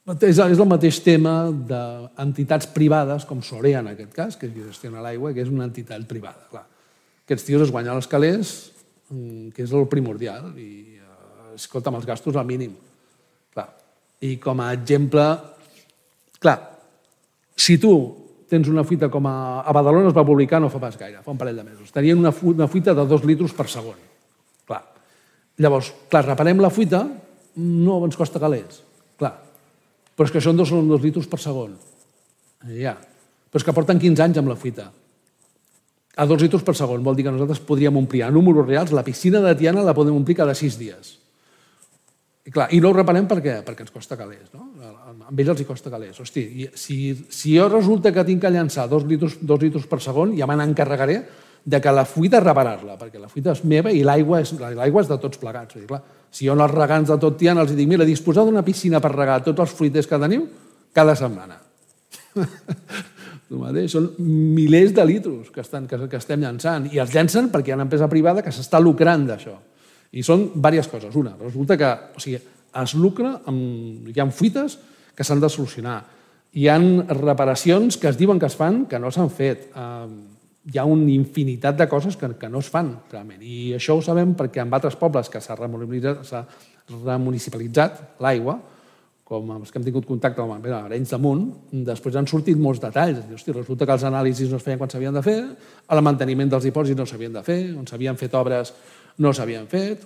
És el mateix tema d'entitats privades, com Sorea en aquest cas, que gestiona l'aigua, que és una entitat privada. Clar. Aquests tios es guanyen els calés, que és el primordial, i escolta, amb els gastos al mínim. Clar. I com a exemple, clar, si tu tens una fuita com a Badalona es va publicar no fa pas gaire, fa un parell de mesos. Tenien una fuita de 2 litros per segon. Clar. Llavors, clar, reparem la fuita, no ens costa calés. Clar. Però és que això són 2 litros per segon. Ja. Però és que porten 15 anys amb la fuita. A 2 litros per segon vol dir que nosaltres podríem omplir a números reals, la piscina de Tiana la podem omplir cada 6 dies. I clar, i no ho reparem per què? Perquè ens costa calés. No? A ells els costa calés. Hosti, si jo resulta que tinc que llançar 2 litros per segon, ja me n'encarregaré de que la fuita reparar-la, perquè la fuita és meva i l'aigua és de tots plegats. Vull dir, clar, si jo als regants de tot Tiana els dic, mira, disposar d'una piscina per regar tots els fruiters que teniu cada setmana. Són milers de litros que estem llançant, i els llancen perquè hi ha una empresa privada que s'està lucrant d'això. I són diverses coses. Una, resulta que es lucra, hi ha fuites que s'han de solucionar. Hi ha reparacions que es diuen que es fan que no s'han fet. Hi ha una infinitat de coses que no es fan, realment. I això ho sabem perquè en altres pobles que s'ha remunicipalitzat l'aigua, com els que hem tingut contacte amb Arenys de Munt, després han sortit molts detalls. Resulta que els anàlisis no es feien quan s'havien de fer, el manteniment dels dipòsits no s'havien de fer, on s'havien fet obres no s'havien fet,